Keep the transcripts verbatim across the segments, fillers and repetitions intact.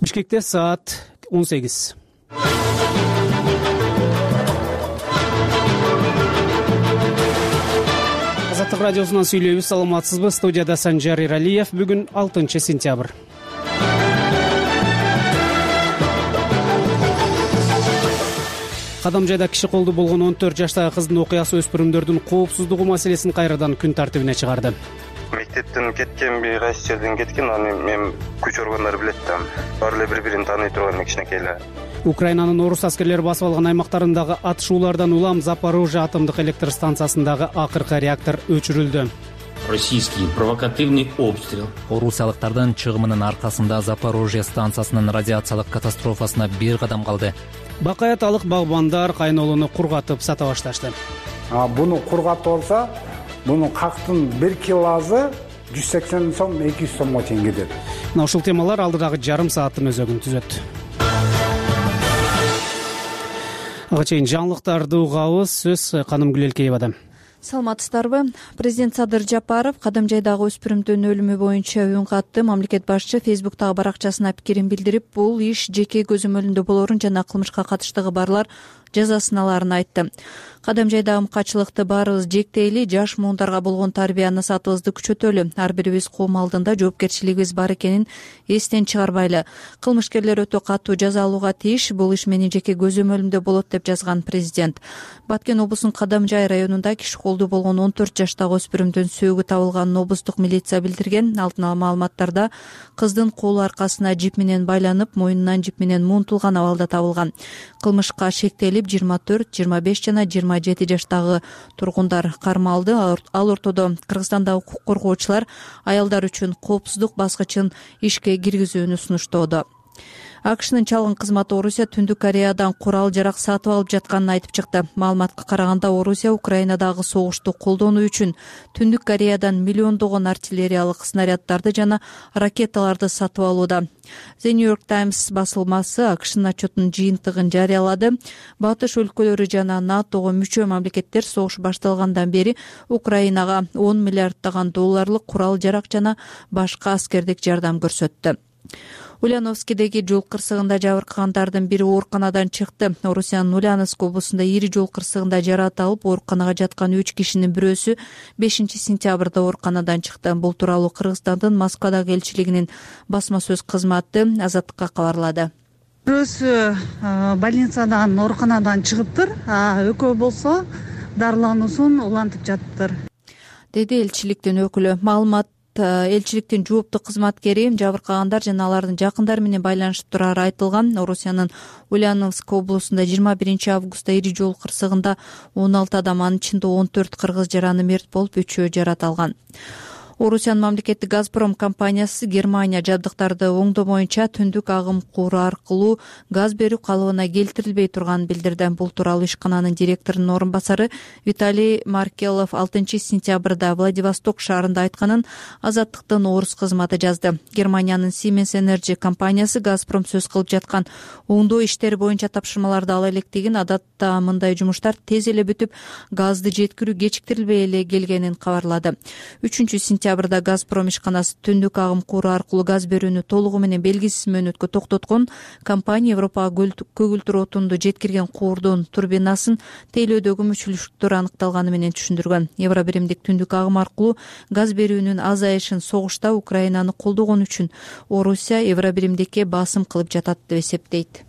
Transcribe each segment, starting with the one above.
Бишкекте саат он сегиз. Азаттык радиосунан сүйлөйбүз. Саламатсызбы? Студияда Санжар Иралиев. Бүгүн алтынчы сентябрь. Кадамжайда киши колду болгон он төрт жаштагы кыздын окуясы өспүрүмдөрдүн коопсуздугу маселесин кайрадан күн тартибине чыгарды. Мектептен кеткен, бир кайсы жерден кеткен, аны мен күч органдары билет да. Баары эле бири-бирин тааный турган кичинекей эле. Украинанын орус аскерлери басып алган аймактарындагы атышуулардан улам Запорожье атомдук электр станциясындагы акыркы реактор өчүрүлдү. Российский провокативный обстрел. Орусиялыктардын чыгымынын аркасында Запорожье станциясынын радиациялык катастрофасына бир кадам калды. Бакаяталык багбандар кайнолуну кургатып сата башташты. Буну кургатып алса, бунун кактын бир килосы жүз сексен сом, эки жүз сомго чейин кетет. Мына ушул темалар алдыдагы жарым сааттын өзөгүн түзөт. Ага чейин жаңылыктарды угабыз. Сөз Канымгүл Элкеевада. Саламатсыздарбы? Президент Садыр Жапаров Кадамжайдагы өспүрүмдүн өлүмү боюнча үн катты. Мамлекет башчы Фейсбуктагы баракчасына пикирин билдирип, бул иш жеке көзөмөлүндө болорун жана кылмышка катыштыгы барлар жазасын аларын айтты. Кадамжайдагы мкачылыкты баарыбыз жектейли, жаш муундарга болгон тарбия насаатыбызды күчөтөлү. Ар бирибиз коом алдында жоопкерчилигибиз бар экенин эстен чыгарбайлы. Кылмышкерлер өтө катуу жаза алууга тийиш. Бул иш менин жеке көзөмөлүмдө болот деп жазган президент. Баткен облусунун Кадамжай районунда киши колду болгон он төрт жаштагы өспүрүмдүн сөөгү табылганын облустук милиция билдирген. Алдын ала маалыматтарда кыздын колу аркасына жип менен байланып, мойнунан жип менен муунтулган абалда табылган. Кылмышка шектелип жыйырма төрт, жыйырма беш жана жыйырма жети жаштагы тургундар кармалды. Ал ортодо Кыргызстандагы укук коргоочулар аялдар үчүн коопсуздук баскычын ишке киргизүүнү сунуштоодо. АКШнын чалгын кызматы Орусия Түндүк Кореядан курал жарак сатып алып жатканын айтып чыкты. Маалыматка караганда Орусия Украинадагы согушту колдонуу үчүн Түндүк Кореядан миллиондогон артиллериялык снаряддарды жана ракеталарды сатып алууда. The New York Times басылмасы АКШнын отчетунун жыйынтыгын жарыялады. Батыш өлкөлөрү жана НАТОго мүчө мамлекеттер согуш башталгандан бери Украинага он миллиарддаган долларлык курал жарак жана башка аскердик жардам көрсөттү. Ульяновскидеги жол кырсыгында жабыркагандардын бири ооруканадан чыкты. Орусиянын Ульяновск облусунда ири жол кырсыгында жаракат алып, ооруканага жаткан үч кишинин бирөөсү бешинчи сентябрда ооруканадан чыкты. Бул тууралуу Кыргызстандын Москвадагы элчилигинин басма сөз кызматы Азаттыкка кабарлады. Бирөөсү больницадан, ооруканадан чыгыптыр, а экөө болсо дарылануусун улантып жатыптыр, деди элчиликтин өкүлү. Маалымат элчиликтин жоопту кызматкери жабыркагандар жана алардын жакындары менен байланышып турары айтылган. Орусиянын Ульяновск облусунда жыйырма биринчи августта ири жол кырсыгында он алты адам, анын ичинде он төрт кыргыз жараны мерт болуп, үчөө жарат алган. Орусиянын мамлекеттик Газпром компаниясы Германия жабдыктарды оңдоо боюнча түндүк агым куру аркылуу газ берүү калыбына келтирилбей турганын билдирди. Бул тууралуу ишкананын директорунун орун басары Виталий Маркелов алтынчы сентябрда Владивосток шаарында айтканын Азаттыктын орус кызматы жазды. Германиянын Siemens Energy компаниясы Газпром сөз кылып жаткан оңдоо иштери боюнча тапшырмаларды ала электигин, адатта мындай жумуштар тез эле бүтүп, газды жеткирүү кечиктирилбей эле келгенин кабарлады. үчүнчү сентябрда Газпром ишканасы түндүк агым куру аркылуу газ берүүнү толугу менен белгисиз мөөнөткө токтоткон. Компания Европага көгүлтүр отунду жеткирген куурдун турбинасын тейлөөдөгү мүчүлүштүктөр аныкталганы менен түшүндүргөн. Евробиримдик түндүк агым аркылуу газ берүүнүн азайышын согушта Украинаны колдогон үчүн Орусия Евробиримдикке басым кылып жатат деп эсептейт.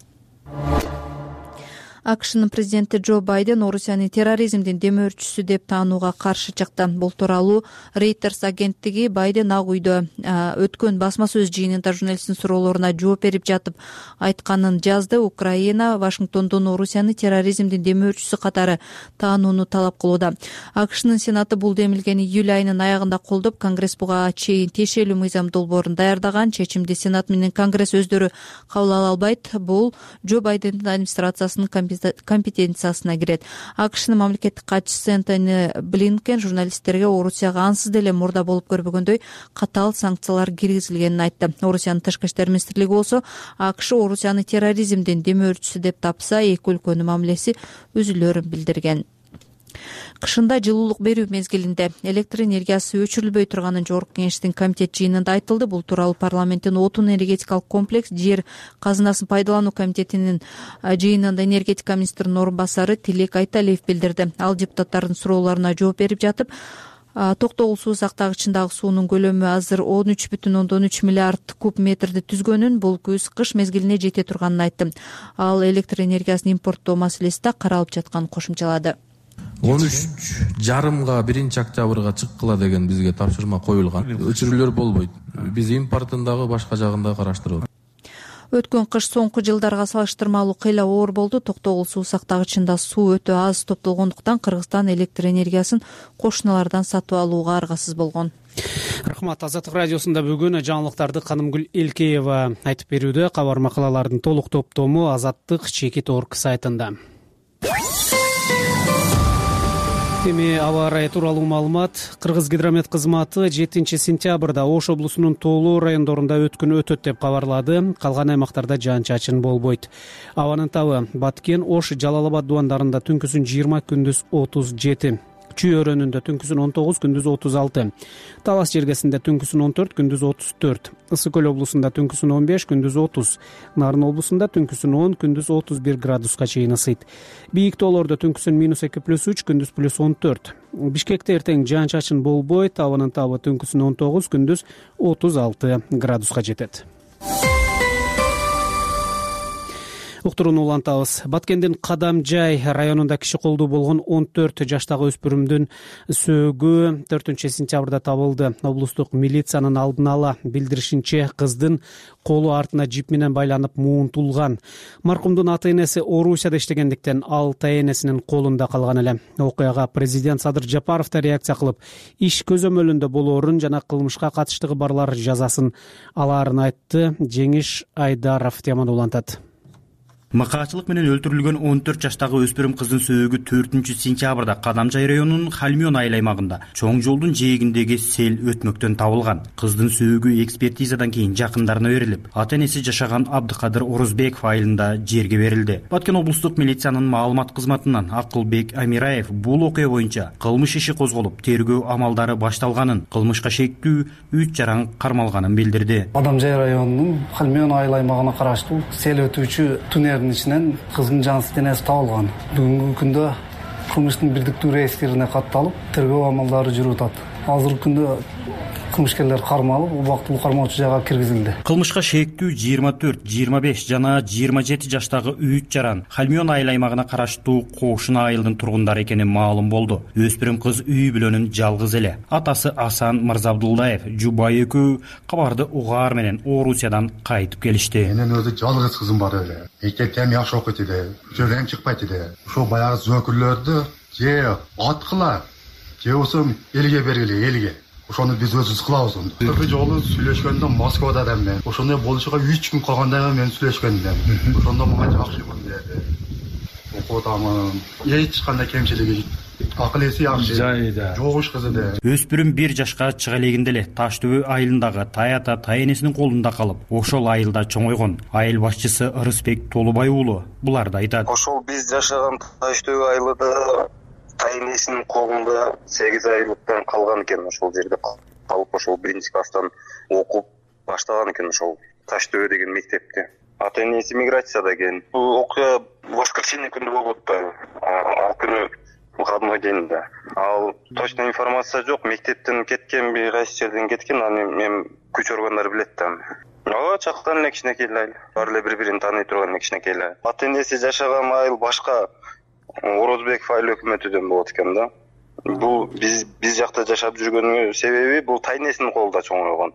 АКШнын президенти Джо Байден Орусиянын терроризмдин демөөрчүсү деп таанууга каршы чыкты. Бул тууралуу Reuters агенттиги Байден Ак үйдө өткөн басма сөз жыйынында журналисттин суроолоруна жооп берип жатып айтканын жазды. Украина Вашингтондон Орусияны терроризмдин демөөрчүсү катары таанууну талап кылууда. АКШнын Сенаты бул демилгени июль айынын аягында колдоп, Конгресс буга чейин тиешелүү мыйзам долбоорун даярдаган. Чечимди Сенат менен Конгресс өздөрү кабыл ала албайт. Бул Джо Байдендин администрациясынын компетенциясына кирет. АКШнын мамлекеттик катчысы Энтони Блинкен журналисттерге Орусияга ансыз деле мурда болуп көрбөгөндөй катаал санкциялар киргизилгенин айтты. Орусиянын тышкы иштер министрлиги болсо АКШ Орусияны терроризмдин демөөрчүсү деп тапса, эки өлкөнүн мамилеси үзүлөрүн билдирген. Кышында жылуулук берүү мезгилинде электр энергиясы өчүрүлбөй турганын жогорку кеңештин комитет жыйынында айтылды. Бул тууралуу парламенттин отун энергетикалык комплекс жер казынасын пайдалануу комитетинин жыйынында энергетика министринин орун басары Тилек Айталиев билдирди. Ал депутаттардын суроолоруна жооп берип жатып, Токтогул суу сактагычындагы суунун көлөмү азыр он үч бүтүн ондон үч миллиард куб метрди түзгөнүн, бул күз кыш мезгилине жете турганын айтты. Ал электр энергиясын импорттоо маселеси да каралып жатканын кошумчалады. он үч жарымга биринчи октябрга чыккыла деген бизге тапшырма коюлган. Өчүрүүлөр болбойт. Биз импортун дагы башка жагын да караштырып атабыз. Өткөн кыш соңку жылдарга салыштырмалуу кыйла оор болду. Токтогул суу сактагычында суу өтө аз топтолгондуктан Кыргызстан электр энергиясын кошуналардан сатып алууга аргасыз болгон. Рахмат. Азаттык радиосунда бүгүн жаңылыктарды Канымгүл Элкеева айтып берүүдө. Кабар макалалардын толук топтому Азаттык чекит орг сайтында. Эми аба ырайы тууралуу маалымат. Кыргыз гидромет кызматы жетинчи сентябрда Ош облусунун тоолуу райондорунда өткүн өтөт деп кабарлады. Калган аймактарда жаан-чачын болбойт. Абанын табы Баткен, Ош, Жалал Абад дубандарында түнкүсүн жыйырма, күндүз отуз жети. Чүй өрөөнүндө түнкүсүн он тогуз, күндүз отуз алты. Талас жергесинде түнкүсүн он төрт, күндүз отуз төрт. Ысык көл облусунда түнкүсүн он беш, күндүз отуз. Нарын облусунда түнкүсүн он, күндүз отуз бир градуска чейин ысыйт. Бийик тоолордо түнкүсүн минус эки плюс үч, күндүз плюс он төрт. Бишкекте эртең жаан-чачын болбойт. Абанын табы түнкүсүн он тогуз, күндүз отуз алты градуска жетет. Уктурууну улантабыз. Баткендин Кадамжай районунда киши колдуу болгон он төрт жаштагы өспүрүмдүн сөөгү төртүнчү сентябрда табылды. Облустук милициянын алдын ала билдиришинче, кыздын колу артына жип менен байланып муунтулган. Маркумдун ата-энеси Орусияда иштегендиктен ал тайэнесинин колунда калган эле. Окуяга президент Садыр Жапаров да реакция кылып, иш көзөмөлүндө болоорун жана кылмышка катыштыгы барлар жазасын алаарын айтты. Жеңиш Айдаров теманы улантат. Макаачылык менен өлтүрүлгөн он төрт жаштагы өспүрүм кыздын сөөгү төртүнчү сентябрда Кадамжай районунун Хальмён айыл аймагында чоң жолдун жээгиндеги сел өтмөктөн табылган. Кыздын сөөгү экспертизадан кийин жакындарына берилип, ата-энеси жашаган Абдыкадыр Орозбеков айылында жерге берилди. Баткен облустук милициянын маалымат кызматынан Акылбек Амираев бул окуя боюнча кылмыш иши козголуп, тергөө амалдары башталганын, кылмышка шектүү үч жаран кармалганын билдирди. Кадамжай районунун Хальмён айыл аймагына караштуу сел өтүүчү туннелдин ичинен кыздын жансыз денеси табылган. Бүгүнкү күндө кылмыштын бирдиктүү реестерине катталып, тергөө амалдары жүрүп атат. Азыркы күндө кылмышкерлер кармалып, убактылуу кармоочу жайга киргизилди. Кылмышка шектүү жыйырма төрт, жыйырма беш жана жыйырма жети жаштагы үч жаран Хальмён айыл аймагына караштуу Кошуна айылдын тургундары экени маалым болду. Өспүрүм кыз үй бүлөнүн жалгыз эле. Атасы Асан Мырзабдулдаев, жубайы экөө кабарды угаар менен Орусиядан кайтып келишти. Менин өзү жалгыз кызым бар эле. Мектептен жакшы окуйт эле. Жөрөң чыкпайт эле. Ошо баягы зөөкүрлөрдү же аткыла, же болсо элге бергиле, элге. Ошону биз өзүбүз кылабыз онду. Бир жолу сүйлөшкөндө Москвада да мен. Ошондой болушуга үч күн калганда мен сүйлөшкөндүм. Ошондо мага жакшы көрдү. Окутамын. Эч кандай кемчилиги акыл эси жакшы. Жогуш кыз эле. Өспүрүм бир жашка чыга элегинде эле Таш төбө айылындагы Таята тайэнесинин колунда калып, ошол айылда чоңойгон. Айыл башчысы Ырысбек Толубай уулу буларды айтат. Ошол биз жашаган Таш төбө айылында тайэнесинин колунда сегиз айлыктан калган экен. Ошол жерде калып, ошол биринчи класстан окуп баштаган экен ошол Таш төбө деген мектепте. Ата-энеси миграцияда экен. Бул окуя воскресенье күнү болуп атпайбы? Ал күнү выходной день да. Ал точно информация жок. Мектептен кеткен, бир кайсы жерден кеткен. Аны мен күч органдары билет да. Ага, чактан эле кичинекей эле. Баары эле бири-бирин тааный турган кичинекей эле. Ата-энеси жашаган айыл башка Орозбеков айыл өкмөтүдөн болот экен да. Бул биз биз жакта жашап жүргөнүнүн себеби бул тайэнесинин колунда чоңойгон.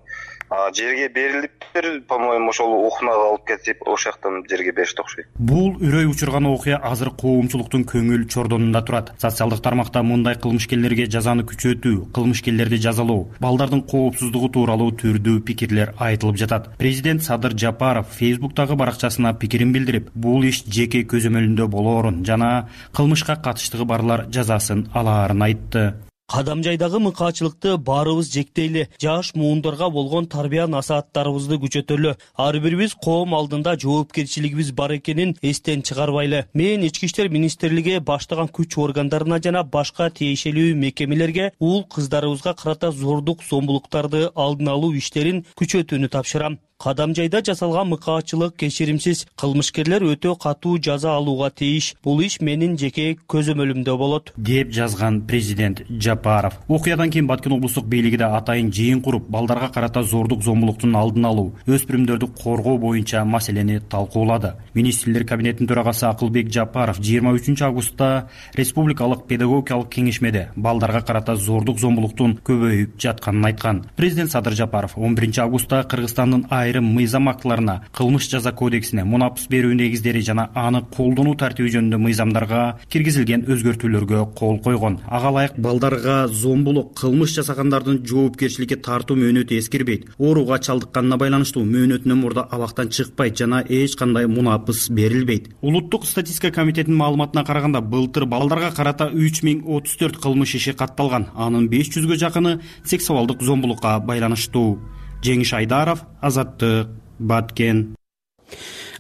А жерге берилиптир, по-моему, ошол окунага алып кетип, ошол жактан жерге беришти окшойт. Бул үрөй учурган окуя азыр коомчулуктун көңүл чордонунда турат. Социалдык тармакта мындай кылмышкерлерге жазаны күчөтүү, кылмышкерлерди жазалоо, балдардын коопсуздугу тууралуу түрдүү пикирлер айтылып жатат. Президент Садыр Жапаров Фейсбуктагы баракчасына пикирин билдирип, бул иш жеке көзөмөлүндө болоорун жана кылмышка катыштыгы барлар жазасын алаарын айтты. Кадамжайдагы мыкаачылыкты баарыбыз жектейли, жаш муундарга болгон тарбия насааттарыбызды күчөтөлү. Ар бирибиз коом алдында жоопкерчилигибиз бар экенин эстен чыгарбайлы. Мен Ички иштер министрлиги баштаган күч органдарына жана башка тиешелүү мекемелерге уул кыздарыбызга карата зордук зомбулуктарды алдын алуу иштерин күчөтүүнү тапшырам. Кадамжайда жасалган мыкаачылык кечиримсиз, кылмышкерлер өтө катуу жаза алууга тийиш. Бул иш менин жеке көзөмөлүмдө болот, деп жазган президент Жапаров. Окуядан кийин Баткен облустук бийлиги да атайын жыйын куруп, балдарга карата зордук зомбулуктун алдын алуу, өспүрүмдөрдү коргоо боюнча маселени талкуулады. Министрлер кабинетинин төрагасы Акылбек Жапаров жыйырма үчүнчү августта республикалык педагогикалык кеңешмеде балдарга карата зордук зомбулуктун көбөйүп жатканын айткан. Президент Садыр Жапаров он биринчи августта Кыргызстандын айрым мыйзам актыларына, кылмыш жаза кодексине, мунапыс берүү негиздери жана аны колдонуу тартиби жөнүндө мыйзамдарга киргизилген өзгөртүүлөргө кол койгон. Ага ылайык балдарга зомбулук, кылмыш жасагандардын жоопкерчиликке тартуу мөөнөтү эскирбейт. Ооруга чалдыкканына байланыштуу мөөнөтүнөн мурда абактан чыкпайт жана эч кандай мунапыс берилбейт. Улуттук статистика комитетинин маалыматына караганда, былтыр балдарга карата үч миң отуз төрт кылмыш иши катталган. Анын беш жүзгө жакыны сексуалдык зомбулукка байланыштуу. Жеңиш Айдаров, Азаттык, Баткен.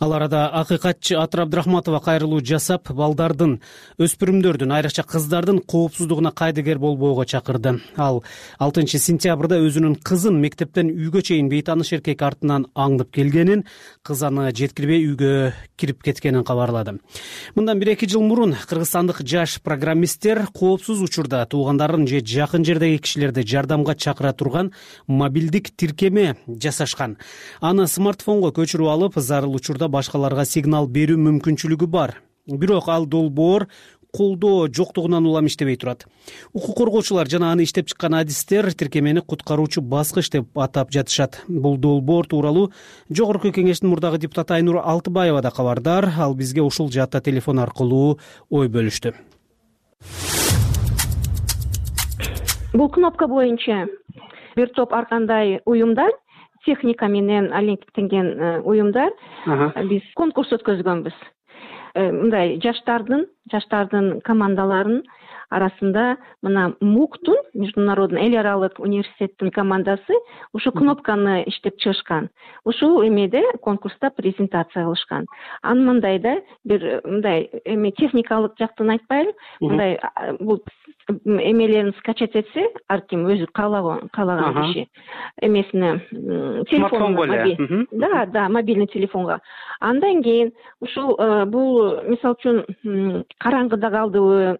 Ал арада акыйкатчы Атыр Абдрахматова кайрылуу жасап, балдардын, өспүрүмдөрдүн, айрыкча кыздардын коопсуздугуна кайдыгер болбоого чакырды. Ал алтынчы сентябрда өзүнүн кызын мектептен үйгө чейин бейтааныш эркек артынан аңдып келгенин, кыз аны жеткирбей үйгө кирип кеткенин кабарлады. Мындан бир эки жыл мурун кыргызстандык жаш программисттер коопсуз учурда туугандарын же жакын жердеги кишилерди жардамга чакыра турган мобилдик тиркеме жасашкан. Аны смартфонго көчүрүп алып, зарыл учурда башкаларга сигнал берүү мүмкүнчүлүгү бар. Бирок ал долбоор колдоо жоктугунан улам иштебей турат. Укук коргоочулар жана аны иштеп чыккан адистер тиркемени куткаруучу баскыч деп атап жатышат. Бул долбоор тууралуу Жогорку Кеңештин мурдагы депутаты Айнур Алтыбаева да кабардар. Ал бизге ушул жаатта телефон аркылуу ой бөлүштү. Бул кнопка боюнча бир топ ар кандай уюмдар, техника менен алектенген уюмдар биз конкурс өткөзгөнбүз. Мындай жаштардын жаштардын командаларын арасында мына МУКтун, Международный эл аралык университеттин командасы ушу кнопканы иштеп чыгышкан. Ушул эмеде конкурста презентация кылышкан. Анын мындайда бир мындай эми техникалык жактын айтпайлы, мындай бул эмелерин скачать этсе, ар ким өзү каалаган каалаган киши эмесине телефонго, да, да, мобильный телефонго. Андан кийин ушул бул мисалы үчүн караңгыда калдыбы,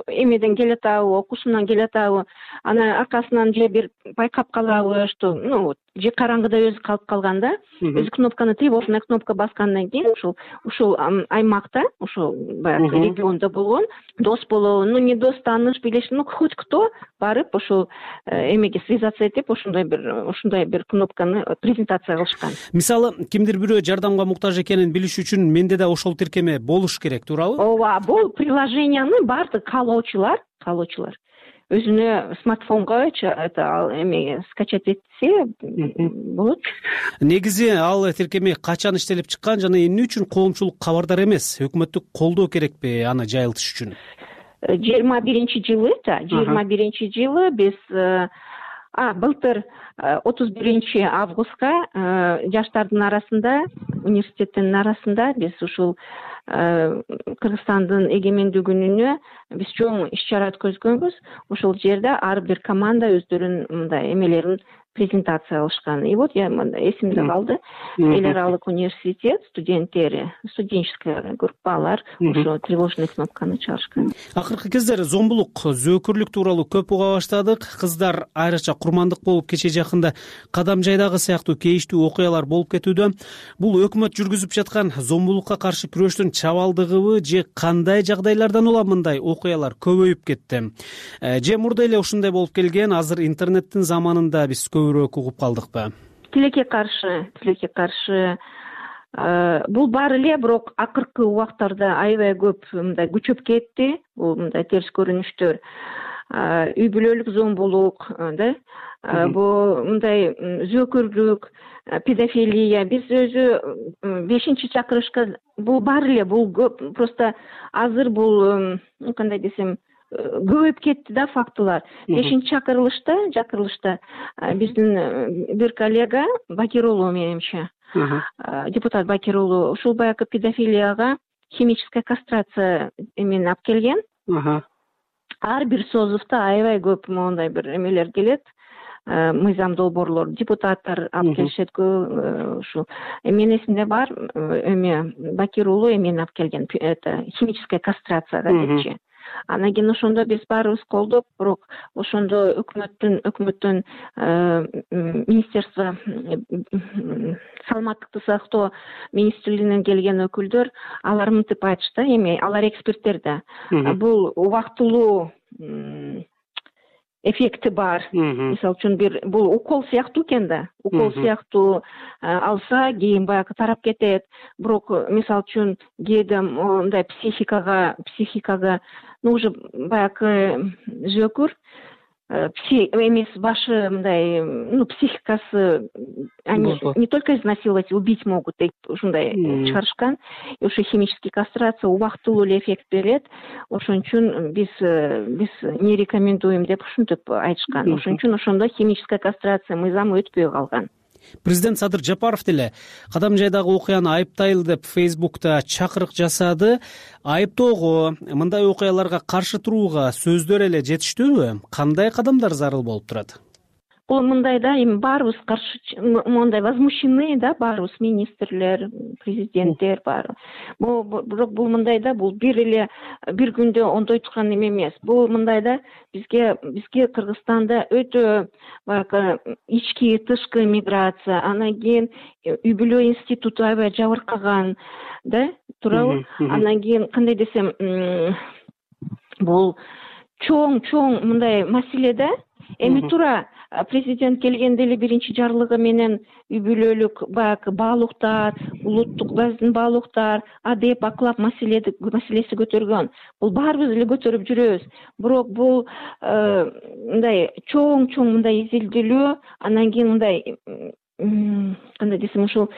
эмеден келатабы, окуусунан келатабы, анан аркасынан же бир байкап калабы, что, ну, же караңгыда өзү калып калганда, өзү кнопканы тревожный кнопка баскандан кийин ушул ушул аймакта, ушул баягы региондо болгон дос болобу, ну не дос, тааныш, билеш, ну хоть кто барып ушул эмеге связаться этип, ушундай бир ушундай бир кнопканы презентация кылышкан. Мисалы, кимдир бирөө жардамга муктаж экенин билиш үчүн менде да ошол тиркеме болуш керек, туурабы? Ооба, бул приложенияны баардык каалоочулар, каалоочулар өзүнө смартфонго это эме скачать этсе болот. Негизи ал тиркеме качан иштелип чыккан жана эмне үчүн коомчулук кабардар эмес? Өкмөттүк колдоо керекпи аны жайылтыш үчүн? жыйырма биринчи жылы, жыйырма биринчи жылы биз а былтыр отуз биринчи августка жаштардын арасында, университеттин арасында биз ушул Кыргызстандын эгемендүү күнүнө биз чоң иш-чара өткөзгөнбүз. Ошол жерде ар бир команда өздөрүнүн мындай эмелерин презентация кылышкан. И вот я эсимде калды. Эл аралык университет студенттери, студенческая группалар ошо тревожный кнопканы чыгарышкан. Акыркы кездери зомбулук, зөөкүрлүк тууралуу көп уга баштадык. Кыздар айрыкча курмандык болуп кече жакында Кадамжайдагы сыяктуу кейиштүү окуялар болуп кетүүдө. Бул өкмөт жүргүзүп жаткан зомбулукка каршы күрөштүн чабалдыгыбы же кандай жагдайлардан улам мындай окуялар көбөйүп кетти? Же мурда эле ушундай болуп келген, азыр интернеттин заманында биз көбүрөөк угуп калдыкпы? Тилекке каршы, тилекке каршы бул бар эле, бирок акыркы убактарда аябай көп мындай күчөп кетти. Бул мындай терс көрүнүштөр. Үй бүлөлүк зомбулук, да? Бул мындай зөөкүрлүк, педофилия, биз өзү бешинчи чакырышка бул бар эле, бул көп. Просто азыр бул, кандай десем, көбөйүп кетти да фактылар. Бешинчи чакырылышта чакырылышта биздин бир коллега Бакир уулу, менимче депутат Бакир уулу ушул баягы педофилияга химическая кастрация эмени алып келген. Ар бир созувда аябай көп моундай бир эмелер келет, мыйзам долбоорлор, депутаттар алып келишет. Ушул менин эсимде бар, эме Бакир уулу эмени алып келген, это химическая кастрацияга депчи. Анан кийин ошондо биз баарыбыз колдоп, бирок ошондо өкмөттүн өкмөттөн министерство саламаттыкты сактоо министрлигинен келген өкүлдөр алар мынтип айтышты, эми алар эксперттер да. Бул убактылуу эффекти бар. Мисалы үчүн бир бул укол сыяктуу экен да. Укол сыяктуу алса, кийин баягы тарап кетет. Бирок мисалы үчүн кээде мындай психикага, психикага, ну уже баягы жөкүр, эмес башы мындай, ну психикасы, они не только изнасиловать, убить могут, деп ушундай чыгарышкан. И ошо химический кастрация убактылуу эле эффект берет. Ошон үчүн биз биз не рекомендуем деп ушинтип айтышкан. Ошон үчүн ошондо химическая кастрация мыйзам өтпөй калган. Президент Садыр Жапаров деле кадам жайдагы окуяны айыптайлы деп Фейсбукта чакырык жасады. Айыптоого, мындай окуяларга каршы турууга сөздөр эле жетиштүүбү? Кандай кадамдар зарыл болуп турат? Бул мындай да, эми баарыбыз каршы, мондай возмущены да, баарыбыз министрлер, президенттер бар. Бирок бул мындай да, бул бир эле бир күндө ондой турган эме эмес. Бул мындай да, бизге бизге Кыргызстанда өтө баягы ички тышкы миграция, анан кийин үй бүлө институту аябай жабыркаган да, туурабы? Анан кийин кандай десем, бул чоң-чоң мындай маселе да. Эми туура президент келгенде эле биринчи жарлыгы менен үй бүлөлүк баягы баалуулуктар, улуттук биздин баалуулуктар, адеп, аклак маселеси маселеси көтөргөн. Бул баарыбыз эле көтөрүп жүрөбүз. Бирок бул мындай чоң-чоң мындай изилдүүлүү, анан кийин мындай кандай десем, ушул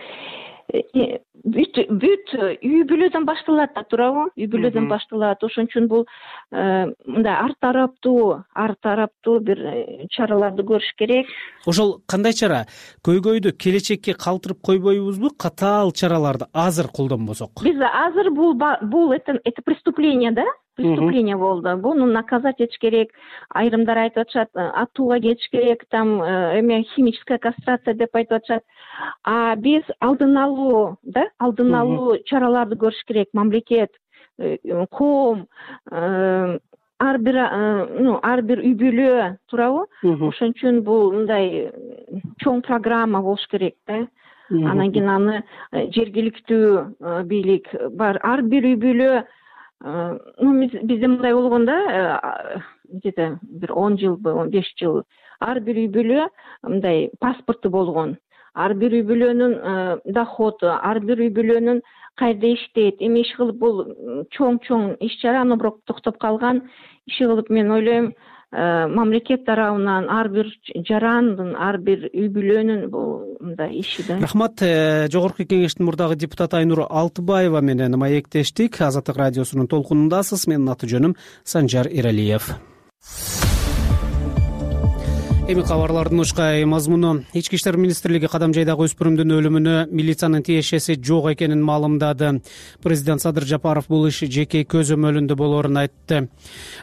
бүт бүт үй бүлөдөн башталат да, туурабы? Үй бүлөдөн башталат. Ошон үчүн бул мындай ар тараптуу, ар тараптуу бир чараларды көрүш керек. Ошол кандай чара? Көйгөйдү келечекке калтырып койбойбузбу? Катаал чараларды азыр колдонбосок? Биз азыр бул бул это это преступление да? Преступление болду. Буну наказать этиш керек. Айрымдар айтып атышат, атууга кетиш керек, там эме химическая кастрация деп айтып атышат. А биз алдын алуу, да, алдын алуу чараларды көрүш керек. Мамлекет, коом, ар бир, ну, ар бир үй бүлө, туурабы? Ошон үчүн бул мындай чоң программа болуш керек да. Анан кийин аны жергиликтүү бийлик бар. Ар бир үй бүлө, ну, бизде мындай болгон да, где-то бир он жылбы, он беш жыл, ар бир үй бүлө мындай паспорту болгон. Ар бир үй бүлөнүн доходу, ар бир үй бүлөнүн кайда иштейт, эми иш кылып бул чоң-чоң иш чара, аны бирок токтоп калган. Иш кылып мен ойлойм, мамлекет тарабынан ар бир жарандын, ар бир үй бүлөнүн бул мындай иши да. Рахмат. Жогорку кеңештин мурдагы депутаты Айнур Алтыбаева менен маектештик. Азаттык радиосунун толкунундасыз. Менин аты жөнүм Санжар Иралиев. Эми кабарлардын учкай мазмуну. Ички иштер министрлиги кадам жайдагы өспүрүмдүн өлүмүнө милициянын тиешеси жок экенин маалымдады. Президент Садыр Жапаров бул иш жеке көзөмөлүндө болоорун айтты.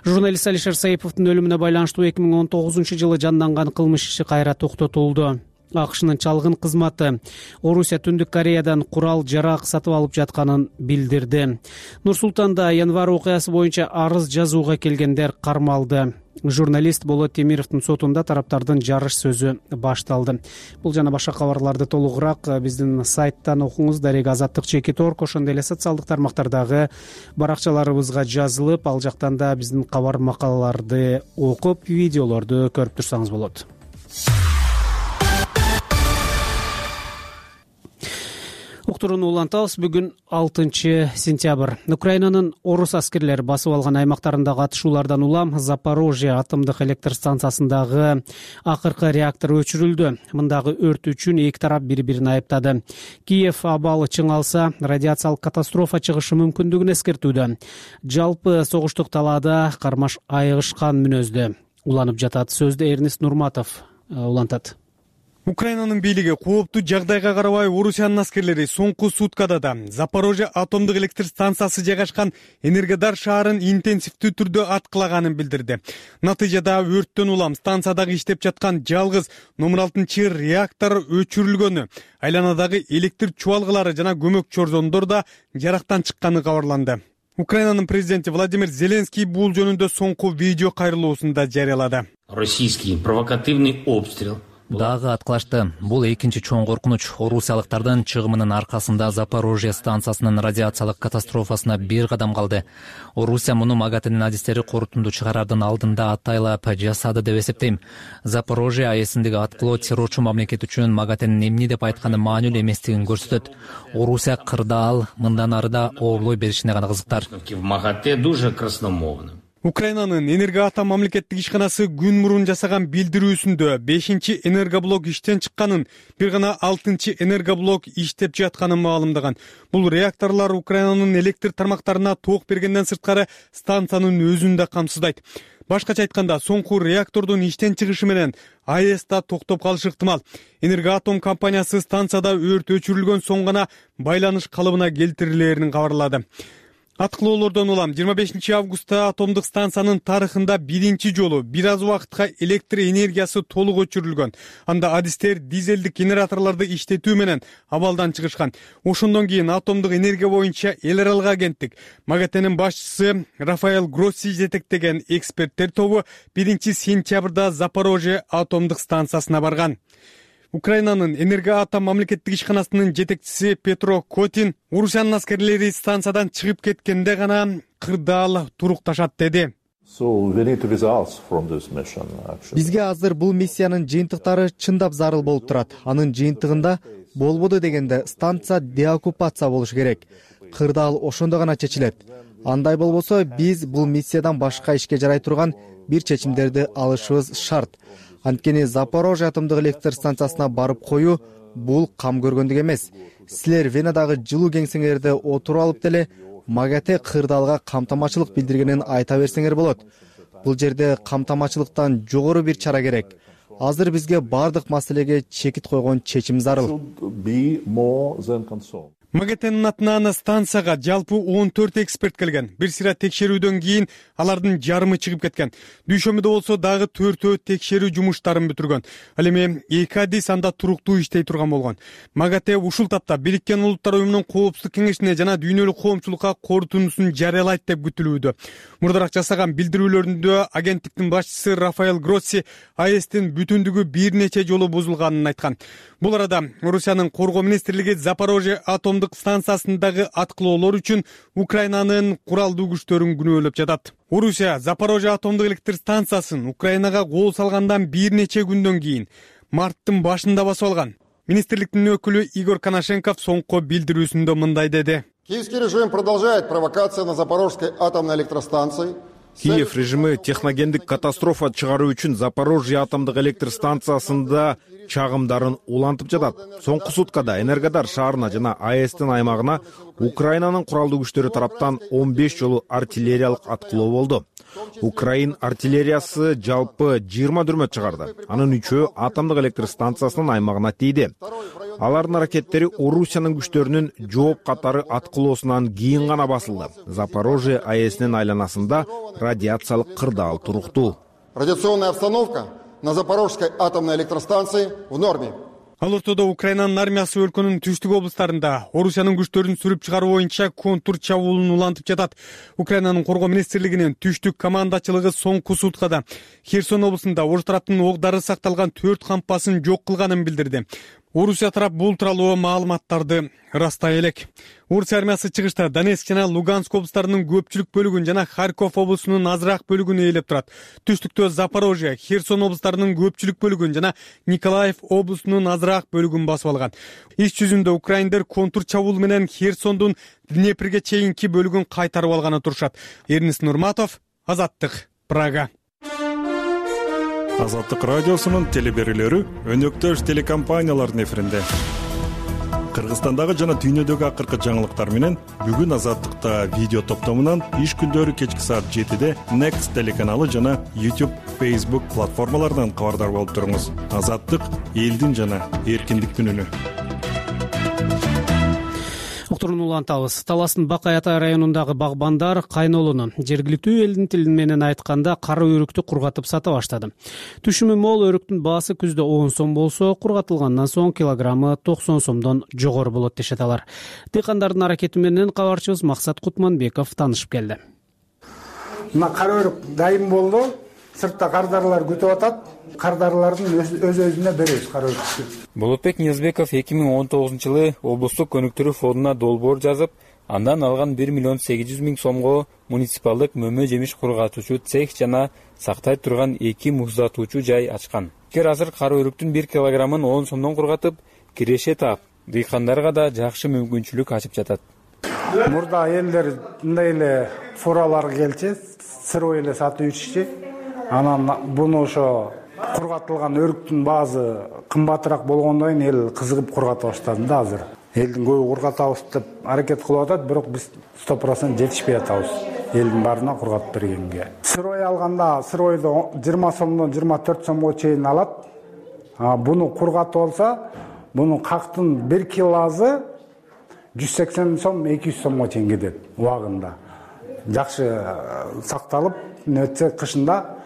Журналист Алишер Саиповдун өлүмүнө байланыштуу эки миң он тогузунчу жылы жанданган кылмыш иши кайра токтотулду. АКШнын чалгын кызматы Орусия Түндүк Кореядан курал жарак сатып алып жатканын билдирди. Нур Султанда январь окуясы боюнча арыз жазууга келгендер кармалды. Журналист Болот Темировдун сотунда тараптардын жарыш сөзү башталды. Бул жана башка кабарларды толугураак биздин сайттан окуңуз. Дарек Азаттык чекит орг, ошондой эле социалдык тармактардагы баракчаларыбызга жазылып, ал жактан да биздин кабар макалаларды окуп, видеолорду көрүп турсаңыз болот. уктурууну улантабыз. Бүгүн алтынчы сентябрь. Украинанын орус аскерлери басып алган аймактарындагы атышуулардан улам Запорожье атомдук электр станциясындагы акыркы реактор өчүрүлдү. Мындагы өрт үчүн эки тарап бири-бирин айыптады. Киев абалы чыңалса, радиациялык катастрофа чыгышы мүмкүндүгүн эскертүүдө. Жалпы согуштук талаада кармаш айыгышкан мүнөздө уланып жатат. Сөздү Эрнест Нурматов улантат. Украинанын бийлиги кооптуу жагдайга карабай Орусиянын аскерлери соңку суткада да Запорожье атомдук электр станциясы жайгашкан Энергодар шаарын интенсивдүү түрдө аткылаганын билдирди. Натыйжада өрттөн улам станциядагы иштеп жаткан жалгыз номер алтынчы реактор өчүрүлгөнү, айланадагы электр чубалгылары жана көмөк чорзондор да жарактан чыкканы кабарланды. Украинанын президенти Владимир Зеленский бул жөнүндө соңку видео кайрылуусунда жарыялады. Российский провокативный обстрел дагы аткылашты. Бул экинчи чоң коркунуч. Орусиялыктардын чыгымынын аркасында Запорожье станциясынын радиациялык катастрофасына бир кадам калды. Орусия муну МАГАТЭнин адистери корутунду чыгарардын алдында атайлап жасады деп эсептейм. Запорожье АЭСиндеги аткылоо террорчу мамлекет үчүн МАГАТЭнин эмне деп айтканы маанилүү эместигин көрсөтөт. Орусия кырдаал мындан ары да оорлой беришине гана кызыктар. в МАГАТЭ дуже красномовно. Украинанын Энергоатом мамлекеттик ишканасы күн мурун жасаган билдирүүсүндө бешинчи энергоблок иштен чыкканын, бир гана алтынчы энергоблок иштеп жатканын маалымдаган. Бул реакторлор Украинанын электр тармактарына ток бергенден сырткары станциянын өзүн да камсыздайт. Башкача айтканда, соңку реактордун иштен чыгышы менен АЭС да токтоп калышы ыктымал. Энергоатом компаниясы станцияда өрт өчүрүлгөн соң гана байланыш калыбына келтирилерин кабарлады. Аткылоолордон улам жыйырма бешинчи августта атомдук станциянын тарыхында биринчи жолу бир аз убакытка электр энергиясы толук өчүрүлгөн. Анда адистер дизелдик генераторлорду иштетүү менен абалдан чыгышкан. Ошондон кийин атомдук энергия боюнча эл аралык агенттик МАГАТЭнин башчысы Рафаэл Гросси жетектеген эксперттер тобу биринчи сентябрда Запорожье атомдук станциясына барган. Украинанын Энергоатом мамлекеттик ишканасынын жетекчиси Петро Котин Орусиянын аскерлери станциядан чыгып кеткенде гана кырдаал турукташат деди. Бизге азыр бул миссиянын жыйынтыктары чындап зарыл болуп турат. Анын жыйынтыгында болбоду дегенде станция деоккупация болуш керек. Кырдаал ошондо гана чечилет. Андай болбосо биз бул миссиядан башка ишке жарай турган бир чечимдерди алышыбыз шарт. Анткени Запорожье атомдук электр станциясына барып коюу бул кам көргөндүк эмес. Силер Венадагы жылуу кеңсеңерде отуруп алып деле МАГАТЭ кырдаалга камтамачылык билдиргенин айта берсеңер болот. Бул жерде камтамачылыктан жогору бир чара керек. Азыр бизге бардык маселеге чекит койгон чечим зарыл. МАГАТЭнин атынан станцияга жалпы он төрт эксперт келген. Бир сыйра текшерүүдөн кийин алардын жарымы чыгып кеткен. Дүйшөмбүдө болсо дагы төртөө текшерүү жумуштарын бүтүргөн. Ал эми эки адис анда туруктуу иштей турган болгон. МАГАТЭ ушул тапта Бириккен Улуттар уюмунун коопсуздук кеңешине жана дүйнөлүк коомчулукка корутундусун жарыялайт деп күтүлүүдө. Мурдараак жасаган билдирүүлөрүндө агенттиктин башчысы Рафаэл Гросси АЭСтин бүтүндүгү бир нече жолу бузулганын айткан. Бул арада Орусиянын коргоо министрлиги Запорожье атомдук станциясындагы аткылоолор үчүн Украинанын куралдуу күчтөрүн күнөөлөп жатат. Орусия Запорожье атомдук электр станциясын Украинага кол салгандан бир нече күндөн кийин марттын башында басып алган. Министрликтин өкүлү Игорь Коношенков соңку билдирүүсүндө мындай деди. Киевский режим продолжает провокация на Запорожской атомной электростанции. Киев режими техногендик катастрофа чыгаруу үчүн Запорожье атомдук электр станциясында чагымдарын улантып жатат. Соңку суткада Энергодар шаарына жана АЭСтин аймагына Украинанын куралдуу күчтөрү тараптан он беш жолу артиллериялык аткылоо болду. Украин артиллериясы жалпы жыйырма дүрмөт чыгарды. Анын үчөө атомдук электр станциясынын аймагына тийди. Алардын аракеттери Орусиянын күчтөрүнүн жооп катары аткылоосунан кийин гана басылды. Запорожье АЭСинин айланасында радиациялык кырдаал туруктуу. Радиационная обстановка на Запорожской атомной электростанции в норме. Ал ортодо Украинанын армиясы өлкөнүн түштүк облустарында Орусиянын күчтөрүн сүрүп чыгаруу боюнча контур чабуулун улантып жатат. Украинанын коргоо министрлигинин түштүк командачылыгы соңку суткада Херсон облусунда Орус тараптын ок дары сакталган төрт кампасын жок кылганын билдирди. Орусия тарап бул тууралуу маалыматтарды ырастай элек. Орусия армиясы чыгышта Донецк жана Луганск облустарынын көпчүлүк бөлүгүн жана Харьков облусунун азыраак бөлүгүн ээлеп турат. Түштүктө Запорожье, Херсон облустарынын көпчүлүк бөлүгүн жана Николаев облусунун азыраак бөлүгүн басып алган. Иш жүзүндө украиндер контур чабуул менен Херсондун Днепрге чейинки бөлүгүн кайтарып алганы турушат. Эрнис Нурматов, Азаттык, Прага. Азаттык радиосунун телеберүүлөрү өнөктөш телекомпаниялардын эфиринде. Кыргызстандагы жана дүйнөдөгү акыркы жаңылыктар менен бүгүн Азаттыкта видео топтомунан иш күндөрү кечки саат жетиде Next телеканалы жана YouTube, Facebook платформаларынан кабардар болуп туруңуз. Азаттык элдин жана эркиндиктин үнү. Уктурууну улантабыз. Таластын Бакай Атай районундагы багбандар кайнолуну жергиликтүү элдин тили менен айтканда кара өрүктү кургатып сата баштады. Түшүмү мол өрүктүн баасы күздө он сом болсо, кургатылгандан соң килограммы токсон сомдон жогору болот дешет алар. Дыйкандардын аракети менен кабарчыбыз Максат Кутманбеков таанышып келди. Мына кара өрүк дайым болду. Сыртта кардарлар күтүп атат. Кардарлардын өз өзүнө беребиз кара өрүктү. Болотбек Ниязбеков эки миң он тогузунчу жылы облустук көнүктүрүү фондуна долбоор жазып, андан алган бир миллион сегиз жүз миң сомго муниципалдык мөмө жемиш кургатуучу цех жана сактай турган эки муздатуучу жай ачкан. Эгер азыр кара өрүктүн бир килограммын он сомдон кургатып, киреше таап, дыйкандарга да жакшы мүмкүнчүлүк ачып жатат. Мурда элдер мындай эле фуралар келчи, сырой эле сатып жүрчү. Анан буну ошо кургатылган өрүктүн баасы кымбатыраак болгондон кийин эл кызыгып кургата баштады да азыр. Элдин көбү кургатабыз деп аракет кылып атат, бирок биз сто процент жетишпей атабыз элдин баарына кургатып бергенге. Сырой алганда сыройду жыйырма сомдон жыйырма төрт сомго чейин алат. Буну кургатып алса, бунун кактын бир килосы жүз сексен сом, эки жүз сомго чейин кетет убагында. Жакшы сакталып, нөтсе кышында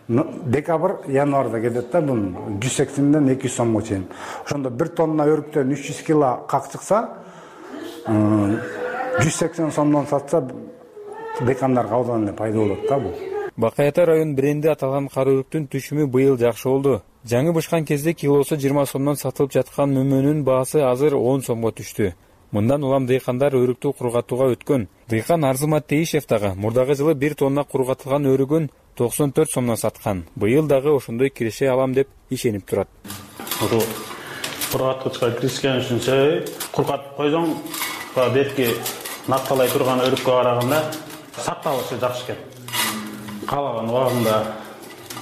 декабрь, январда кетет да, бун жүз сексенден эки жүз сомго чейин. Ошондо бир тонна өрүктөн үч жүз кило как чыкса, жүз сексен сомдон сатса, декандарга абдан эле пайда болот да бул. Бакай Атай район бренди аталган кара өрүктүн түшүмү быйыл жакшы болду. Жаңы бышкан кезде килосу жыйырма сомдон сатылып жаткан мөмөнүн баасы азыр он сомго түштү. Мындан улам дыйкандар өрүктү кургатууга өткөн. Дыйкан Арзымат Тейишев дагы мурдагы жылы бир тонна кургатылган өрүгүн токсон төрт сомдон саткан. Быйыл дагы ошондой киреше алам деп ишенип турат. Ошо кургаткычка киришкен үчүн кургатып койсоң, берки накталай турган өрүккө караганда сакталышы жакшы экен. Каалаган убагында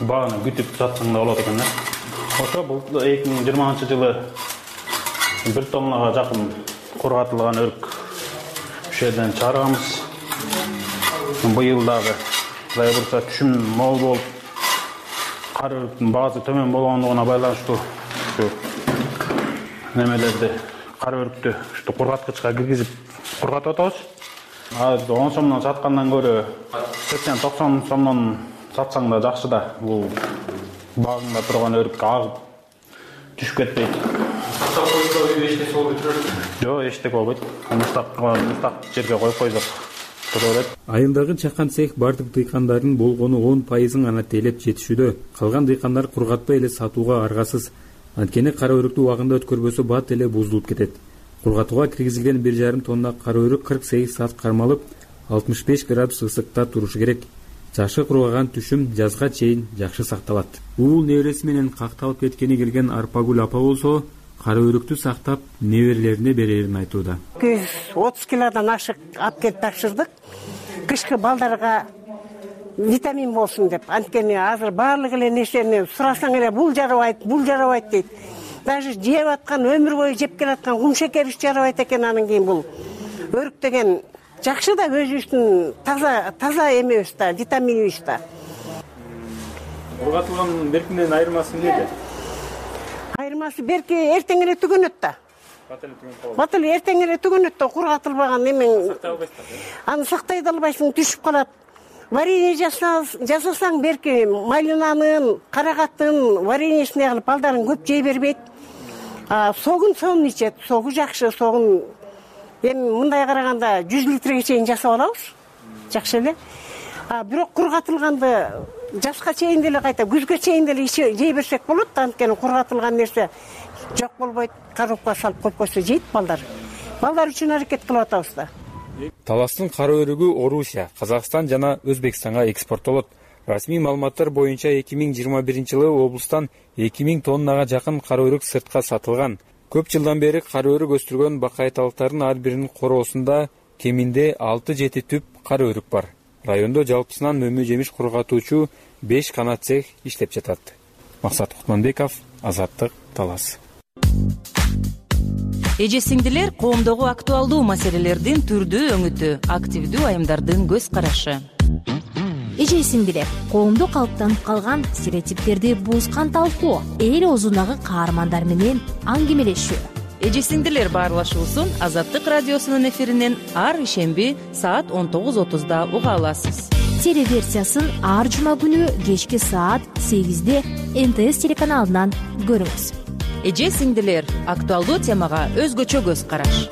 бааны күтүп сатсаң да болот экен да. Ошо бул эки миң жыйырманчы жылы бир тоннага жакын кургатылган өрүк ушул жерден чыгарганбыз. Быйыл дагы Кудай бурса түшүм мол болуп, кара өрүктүн баасы төмөн болгондугуна байланыштуу ушу немелерди, кара өрүктү ушу кургаткычка киргизип кургатып атабыз. Азыр он сомдон саткандан көрө сексен токсон сомдон сатсаң да жакшы да. Бул багыңда турган өрүк агып түшүп кетпейт. Эчтеке болбойт. Жок, эчтеке болбойт. Муштак муштак жерге коюп койсок. Айылдагы чакан цех бардык дыйкандардын болгону он пайызын гана тейлеп жетишүүдө. Калган дыйкандар кургатпай эле сатууга аргасыз. Анткени кара өрүктү убагында өткөрбөсө бат эле бузулуп кетет. Кургатууга киргизилген бир жарым тонна кара өрүк кырк сегиз саат кармалып, алтымыш беш градус ысыкта турушу керек. Жакшы кургаган түшүм жазга чейин жакшы сакталат. Уул небереси менен какталып кеткени келген Арпагүл апа болсо, кара өрүктү сактап неберелерине берерин айтууда. жүз отуз килодан ашык алып келип тапшырдык. Кышкы балдарга витамин болсун деп. Анткени азыр баардык эле нерсени сурасаң эле бул жарабайт, бул жарабайт дейт. Даже жеп аткан, өмүр бою жеп келаткан кум шекери жарабайт экен. Анан кийин бул өрүк деген жакшы да, өзүбүздүн таза таза эмебиз да, витаминибиз да. Кургатылган беркинен айырмасы эмнеде? Айырмасы берки эртең эле түгөнөт да. Бат эле эртең эле түгөнөт да, кургатылбаган эмен. Аны сактай да албайсың, түшүп калат. Варенье жасасаң берки малинанын, карагаттын вареньесине кылып балдарын көп жей бербейт. Согун сонун ичет, согу жакшы, согун эми мындай караганда жүз литрге чейин жасап алабыз. Жакшы эле. Бирок кургатылганды жазга чейин деле кайта күзгө чейин деле жей берсек болот. Анткени кургатылган нерсе жок болбойт, коробкага салып коюп койсо жейт балдар. Балдар үчүн аракет кылып атабыз да. Таластын кара өрүгү Орусия, Казакстан жана Өзбекстанга экспорттолот. Расмий маалыматтар боюнча эки миң жыйырма биринчи жылы облустан эки миң тоннага жакын кара өрүк сыртка сатылган. Көп жылдан бери кара өрүк өстүргөн бакайталыктардын ар биринин короосунда кеминде алты жети түп кара өрүк бар. Райондо жалпысынан мөмө жемиш кургатуучу беш гана цех иштеп жатат. Максат Кутманбеков, Азаттык, Талас. Эже сиңдилер, коомдогу актуалдуу маселелердин түрдүү өңүтү, активдүү айымдардын көз карашы. Эже сиңдилер, коомдо калыптанып калган стереотиптерди бузган талкуу, эл оозундагы каармандар менен аңгемелешүү. Эже сиңдилер баарлашуусун Азаттык радиосунун эфиринен ар ишемби саат он тогуз отузда уга аласыз. Телеверсиясын ар жума күнү кечки саат сегизде эн тэ эс телеканалынан көрүңүз. Эже сиңдилер, актуалдуу темага өзгөчө көз караш.